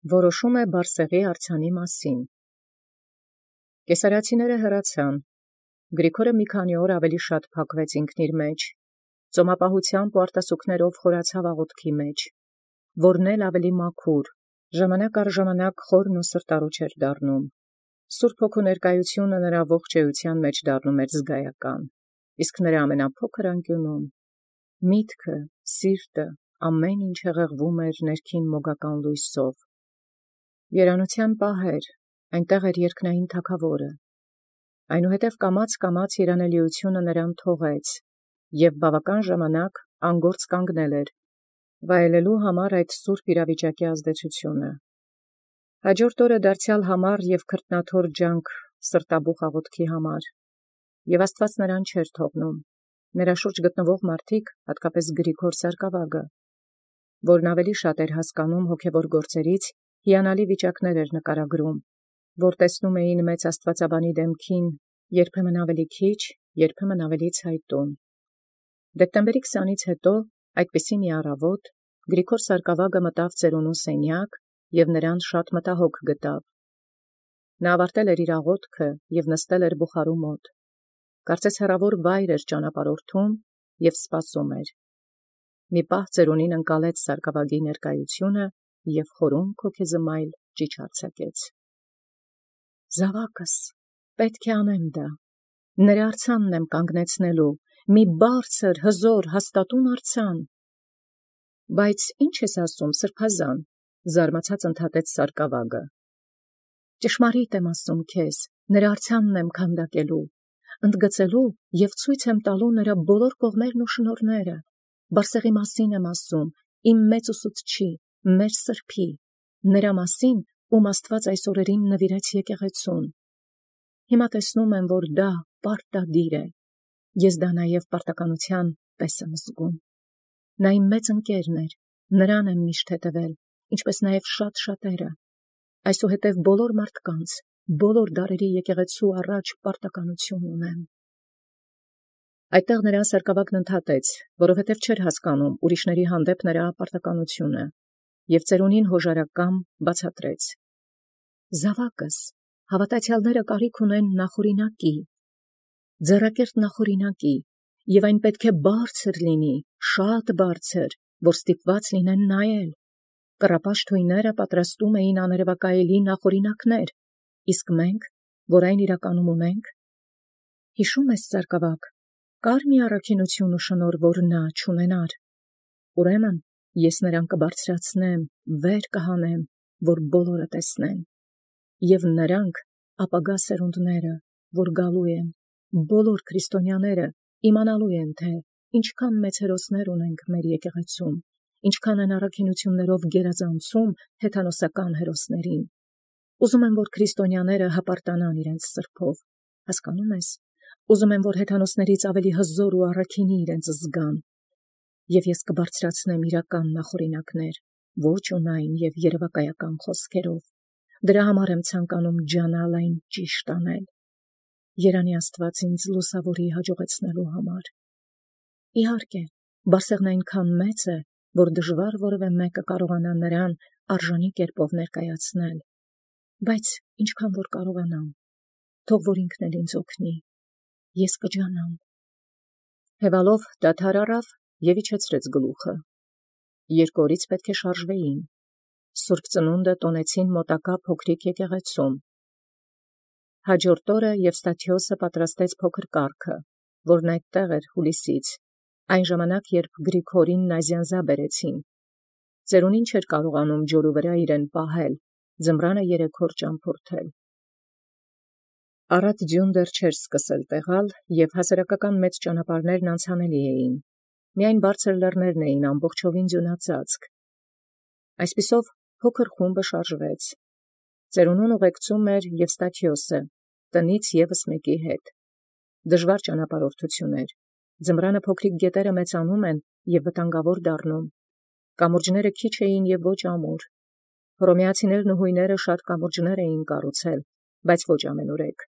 Որոշում է Բարսեղի արձանի մասին։ Կեսարացիները հեռացան։ Գրիգորը մի քանի օր ավելի շատ փակվեց ինքն իր մեջ։ Ծոմապահությամբ ու արտասուքներով խորացավ աղոթքի մեջ, որն էլ ավելի մաքուր, ժամանակ առ ժամանակ խորն ու սրտառուչ էր դառնում։ Սուրբ Հոգու ներկայությունը նրա ողջ էության մեջ դառնում էր զգայական, իսկ նրա ամենափոքր անկյունում միտքը, սիրտը, ամեն ինչ հեղեղվում էր ներքին մոգական լույսով։ Երանության պահեր, այնտեղ էր երկնային թագավորը։ Այնուհետև կամաց երանելիությունը նրան թողեց, և բավական ժամանակ անգործ կանգնել էր, վայելելու համար այդ սուրբ իրավիճակի ազդեցությունը։ Հաջորդ օրը դարձյալ համառ և քրտնաթոր ջանք սրտաբուխ աղոթքի համար, և Աստված նրան չէր թողնում։ Նրա շուրջ գտնվող մարդիկ, հատկապես Գրիգոր Սարկավագը, որն ավելի շատ էր հասկանում հոգևոր գործերից, հիանալի վիճակներ էր նկարագրում, որ տեսնում էին մեծ աստվածաբանի դեմքին, երբեմն ավելի քիչ, երբեմն ավելի ցայտուն։ Դեկտեմբերի 20-ից հետո, այդպիսի մի առավոտ, Գրիգոր Սարկավագը մտավ ծերունու սենյակ և նրան շատ մտահոգ գտավ։ Նա ավարտել էր իր աղոթքը և նստել էր բուխարու մոտ։ Կարծես հեռավոր վայր էր ճանապարհորդում և սպասում էր։ Մի պահ ծերունին ընկալեց Սարկավագի ներկայությունը և խորունկ հոգեզմայլ ճիչ արձակեց։ «Զավակս, պետք է անեմ դա. նրա արձանն եմ կանգնեցնելու, մի բարձր, հզոր, հաստատուն արձան»։ «Բայց ի՞նչ ես ասում, սրբազան», զարմացած ընդհատեց Սարկավագը։ «Ճշմարիտ եմ ասում քեզ, նրա արձանն եմ քանդակելու, ընդգծելու և ցույց եմ տալու նրա բոլոր կողմերն ու շնորհները։ Բարսեղի մասին եմ ասում, իմ մեծ ուսուցչի, մեր Սրբի, նրա մասին, ում Աստված այս օրերին նվիրեց եկեղեցուն։ Հիմա տեսնում եմ, որ դա պարտադիր է։ Ես դա նաև պարտականության պես եմ զգում։ Նա իմ մեծ ընկերն էր, նրան եմ միշտ հետևել, ինչպես նաև շատ շատերը։ Այսուհետև բոլոր մարդկանց, բոլոր դարերի եկեղեցու առաջ պարտականություն ունեմ։ Այդտեղ նրան Սարկավագն ընդհատեց, որովհետև չէր հասկանում ուրիշների հանդեպ նրա պարտականությունը, և ծերունին հոժարակամ բացատրեց. «Զավակս, հավատացյալները կարիք ունեն նախօրինակի, ձեռակերտ նախօրինակի, և այն պետք է բարձր լինի, շատ բարձր, որ ստիպված լինեն նայել։ Կռապաշտ թույները պատրաստում էին աներևակայելի նախօրինակներ, իսկ մենք, որ այն իրականում ունենք, հիշո՞ւմ ես, Սարկավագ, կար մի առաքինություն ու շնորհ, որ նա չունենար։ Ուրեմն ես նրան կբարձրացնեմ, վեր կհանեմ, որ բոլորը տեսնեն։ Եվ նրանք, ապագա սերունդները, որ գալու են, բոլոր քրիստոնյաները իմանալու են, թե ինչքան մեծ հերոսներ ունենք մեր եկեղեցում, ինչքան են առաքինություններով գերազանցում հեթանոսական հերոսներին։ Ուզում եմ, որ քրիստոնյաները հպարտանան իրենց սրբով, հասկանում ես։ Ուզում եմ, որ հեթանոսներից ավելի հզոր ու առաքինի իրենց զգան։ Եվ ես կբարձրացնեմ իրական նախօրինակներ, ոչ ունայն և երևակայական խոսքերով։ Դրա համար եմ ցանկանում ջանալ այն ճիշտ անել։ Երանի Աստված ինձ լուսավորի հաջողեցնելու համար։ Իհարկե, Բարսեղն այնքան մեծ է, որ դժվար որևէ մեկը կարողանա նրան արժանի կերպով ներկայացնել, բայց ինչքան որ կարողանամ, թող որ ինքն էլ ինձ օգնի, ես կջանամ։ Հևալով դադար առավ և իջեցրեց գլուխը։ 2 օրից պետք է շարժվեին։ Սուրբ ծնունդը տոնեցին մոտակա փոքրիկ եկեղեցում։ Հաջորդ օրը Եվստաթիոսը պատրաստեց փոքր կառքը, որն այդտեղ էր հուլիսից, այն ժամանակ, երբ Գրիգորին նազյանզա բերեցին։ Ծերունին չէր կարողանում ջորու վրա իրեն պահել, ձմռանը 3 օր ճամփորդել։ Առատ ձյուն դեռ չէր սկսել տեղալ, և հասարակական մեծ ճանապարհներն անցանելի էին։ Միայն բարձր լեռներն էին ամբողջովին ձյունածածկ։ Այսպիսով փոքր խումբը շարժվեց։ Ծերունուն ուղեկցում էր Եվստաթիոսը, տնից ևս մեկի հետ։ Դժվար ճանապարհորդություն էր։ Ձմռանը փոքրիկ գետերը մեծանում են և վտանգավոր դառնում։ Կամուրջները քիչ էին և ոչ ամուր։ Հռոմեացիներն ու հույները շատ կամուրջներ էին կառուցել, բայց ոչ ամենուրեք։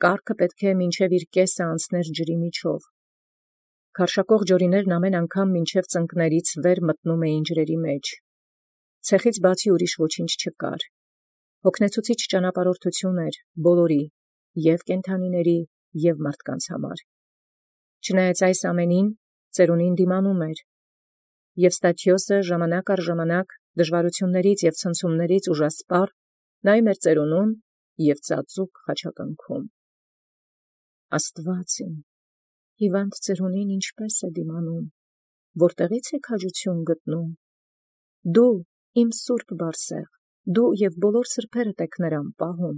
Կառքը պետք է մինչև իր կեսը անցներ ջրի միջով։ Քարշակող ջորիներն ամեն անգամ մինչև ծնկներից վեր մտնում էին ջրերի մեջ։ Ցեխից բացի ուրիշ ոչինչ չկար։ Հոգնեցուցիչ ճանապարհորդություն էր բոլորի, և կենդանիների, և մարդկանց համար։ Չնայած այս ամենին, ծերունին դիմանում էր, և Ստաթիոսը ժամանակ առ ժամանակ դժվարություններից և ցնցումներից ուժասպառ նայում էր ծերունուն և ծածուկ խաչակնքում։ Աստված իմ, հիվանդ ծերունին ինչպե՞ս է դիմանում, որտեղի՞ց է քաջություն գտնում։ Դու իմ սուրբ Բարսեղ, դու և բոլոր սրբերդ եք նրան պահում։